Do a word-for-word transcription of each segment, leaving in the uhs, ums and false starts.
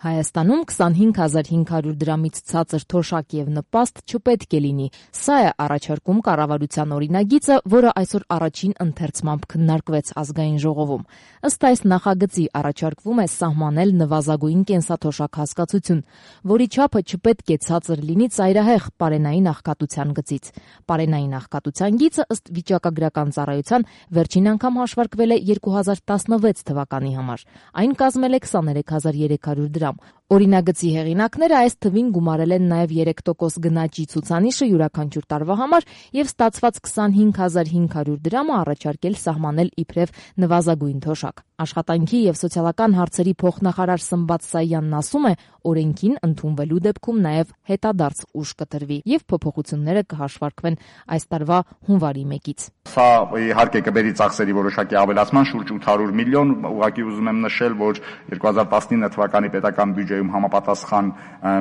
Հայաստանում քսանհինգ հազար հինգ հարյուր դրամից ցածր թոշակ եւ նպաստ չպետք է լինի։ Սա է առաջարկում կառավարության օրինագիծը, որը այսօր առաջին ընթերցմամբ քննարկվեց ազգային ժողովում։ Ըստ այս նախագծի առաջարկվում է սահմանել նվազագույն կենսաթոշակ հասկացություն, որի չափը չպետք է ցածր լինի ծայրահեղ պարենային աղքատության գծից։ Պարենային աղքատության գիծը ըստ վիճակագրական ծառայության վերջին անգամ հաշվարկվել է երկու հազար տասնվեց թվականի համար։ Այն կազմել է քսաներեք հազար երեք հարյուր դրամ։ Օրինագծի հեղինակները այս թվին գումարել են նաև երեք տոկոս գնաճի ցուցանիշը յուրաքանչյուր տարվա համար եւ ստացված քսանհինգ հազար հինգ հարյուր դրամը առաջարկել սահմանել իբրև նվազագույն թոշակ։ Աշխատանքի եւ սոցիալական հարցերի փոխնախարար Սմբատ Սայանն ասում է, օրենքին ընդունվելու դեպքում նաև հետադարձ ուժ կտրվի եւ փոփոխությունները կհաշվարկվեն այս տարվա հունվարի մեկից։ Սա իհարկե կբերի ծախսերի որոշակի ավելացման շուրջ ութ հարյուր միլիոն, ուղղակի ուզում եմ նշել, որ երկու հազար տասնինը թվականի պետական բյուջեում համապատասխան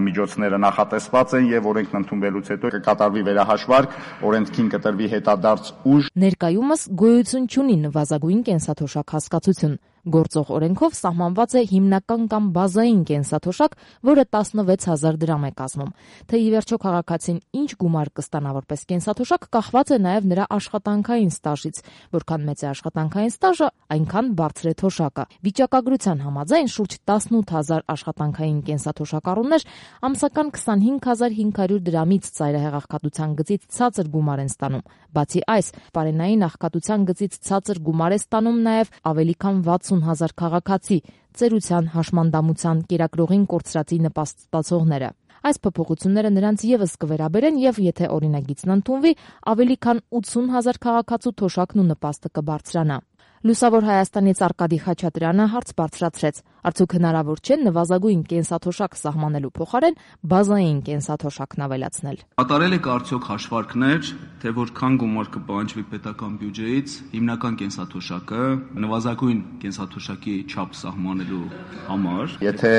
միջոցները նախատեսված են եւ օրենքն ընդունվելուց հետո կկատարվի վերահաշվարկ, օրենքին կտրվի հետադարձ ուժ։ Ներկայումս գոյություն չունի նվազագույն կենսաթոշակ հասկացություն։ Գործող օրենքով սահմանված է հիմնական կամ բազային կենսաթոշակ, որը տասնվեց հազար դրամ է կազմում։ Թե ի վերջո քաղաքացին ինչ գումար կստանա որպես կենսաթոշակ, կախված է նաև նրա աշխատանքային ստաժից։ Որքան մեծ է աշխատանքային ստաժը, այնքան բարձր է թոշակը։ Վիճակագրության համաձայն շուրջ տասնութ հազար աշխատանքային կենսաթոշակառուներ ամսական քսանհինգ հազար հինգ հարյուր դրամից ծայրահեղ աղքատության գծից ցածր գումար են ստանում։ Բացի այս, պարենային աղքատության գծից ցածր գումար է ստանում նաև ավելի քան վաթսուն հազար քաղաքացի, ծերության, հաշմանդամության, կերակրողին կորցրածի նպաստ ստացողները։ Այս փոփոխությունները նրանց եւս կվերաբերեն եւ եթե օրինագիծն ընդունվի, ավելի քան ութսուն հազար քաղաքացու թոշակն ու նպաստը կբարձրանա։ Լուսավոր Հայաստանից Արկադի Խաչատրյանը հարց բարձրացրեց. արդյոք հնարավոր չէ նվազագույն կենսաթոշակ սահմանելու փոխարեն բազային կենսաթոշակն ավելացնել։ Կատարել եք արդյոք հաշվարկներ, թե որքան գումար կպահանջվի պետական բյուջեից հիմնական կենսաթոշակը նվազագույն կենսաթոշակի չափ սահմանելու համար։ Եթե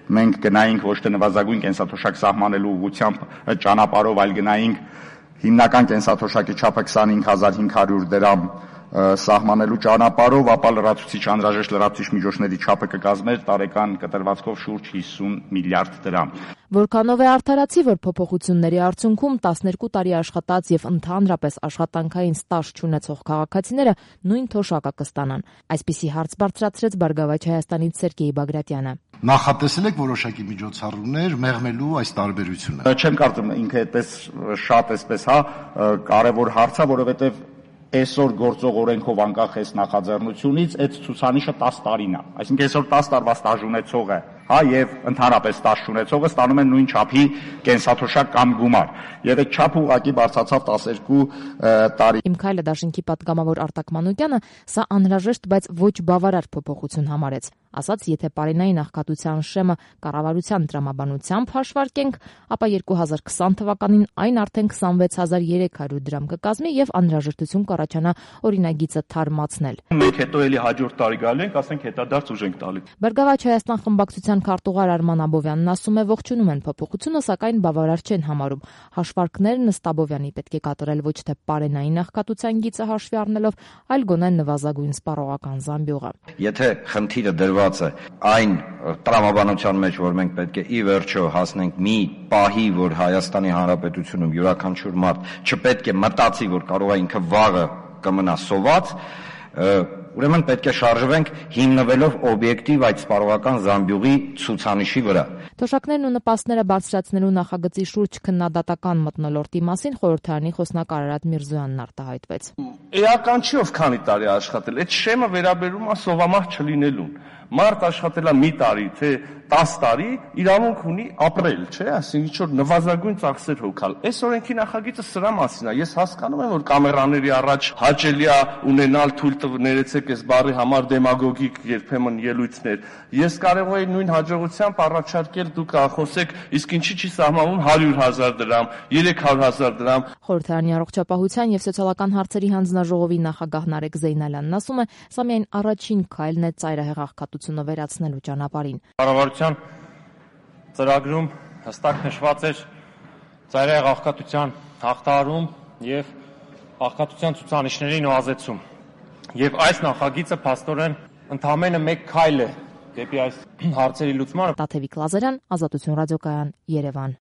մենք գնայինք ոչ թե նվազագույն կենսաթոշակ սահմանելու ուղղությամբ ճանապարհով, այլ գնայինք հիմնական կենսաթոշակի չափը քսանհինգ հազար հինգ հարյուր դրամ սահմանելու ճանապարհով, ապա լրացուցիչ անհրաժեշտ լրացուցիչ միջոցների չափը կկազմեր տարեկան կտրվածքով շուրջ հիսուն միլիարդ դրամ։ Որքանով է արդարացի, որ փոփոխությունների արդյունքում տասներկու տարի աշխատած եւ ընդհանրապես աշխատանքային ստաժ չունեցող քաղաքացիները նույն թոշակը կստանան։ Այսպիսի հարց բարձրացրեց Բարգավաճ Հայաստանից Սերգեյ Բագրատյանը։ Նախատեսել եք որոշակի միջոցառումներ մեղմելու այս տարբերությունը։ Չեմ կարծում ինքը այդպես շատ այսպես, հա, կարևոր հարց է, որովհետեւ այսօր գործող օրենքով անկախ այս նախաձեռնությունից այդ ցուցանիշը տասը տարին է։ Այսինքն այսօր տասը տարվա ստաժ ունեցողը, հա, եւ ընդհանրապես ստաժ ունեցողը ստանում են նույն չափի կենսաթոշակ կամ գումար։ Եվ այդ չափը ուղղակի բարձրացավ տասներկու տարի։ Իմ քայլը դաշինքի պատգամավոր Արտակ Մանուկյանը սա անհրաժեշտ, բայց ոչ բավարար փոփոխություն համարեց։ Ասաց, եթե պարենային աղքատության շեմը կառավարության տրամաբանությամբ հաշվարկենք, ապա երկու հազար քսան թվականին այն արդեն քսանվեց հազար երեք հարյուր դրամ կկազմի եւ անհրաժեշտություն կառաջանա օրինագիծը թարմացնել։ Մենք հետո էլի հաջորդ տարի գալու ենք, ասենք հետադարձ ուժ ենք տալի։ Բարգավաճ Հայաստան խմբակցության քարտուղար Արման Աբովյանն ասում է, ողջունում են փոփոխությունը, սակայն բավարար չեն համարում։ Հաշվարկներն ըստ Աբովյանի պետք է կատարել ոչ թե պարենային աղքատության գիծը հաշվի առնելով, այլ գոնե նվազագույն սպառողական զամբյուղը։ Եթե խնդիրը դրված է այն տրամաբանության մեջ, որ մենք պետք է ի վերջո հասնենք մի պահի, որ Հայաստանի Հանրապետությունում յուրաքանչյուր մարդ չպետք է մտածի, որ կարող է ինքը վաղը կմնա սոված, ուրեմն պետք է շարժվենք հիմնվելով օբյեկտիվ այդ սպառողական զամբյուղի ցուցանիշի վրա։ Թոշակներն ու նպաստները բարձրացնելու նախագծի շուրջ քննադատական մթնոլորտի մասին խորհրդարանի խոսնակ Արարատ Միրզոյանն արտահայտվեց։ Էական չի ով քանի տարի աշխատել, այդ շեմը վերաբերում է սովամահ չլինելուն։ Մարդ աշխատելա մի տարի, թե տասը տարի, իրավունք ունի ապրել, չէ՞, այսինքն ինչ որ նվազագույն ծախսեր հոգալ։ Այս օրենքի նախագիծը սրա մասին է։ Ես հասկանում եմ, որ կամերաների առաջ հաճելի է ունենալ թույլ ներեցեք այս բառի համար դեմագոգիկ երբեմն ելույթներ։ Ես կարող եի նույն հաջողությամբ առաջարկել դուք խոսեք, իսկ ինչի՞ չի սահմանվում հարյուր հազար դրամ, երեք հարյուր հազար դրամ։ Խորհրդարանի առողջապահության եւ սոցիալական հարցերի հանձնաժողովի նախագահ Նարեկ Զեյնալյանն ասում է, սա միայն առաջին քայլն է ծայրահեղ աղքատությունը վերացնելու ճանապարհին։ Կառավարության ծրագրում հստակ նշված էր ծայրահեղ աղքատության հաղթահարում եւ աղքատության ցուցանիշների նվազեցում։ Եվ այս նախագիծը փաստորեն ընդամենը մեկ քայլ է դեպի այս հարցերի լուծմանը։ Տաթևիկ Լազարյան, Ազատություն ռադիոկայան, Երևան։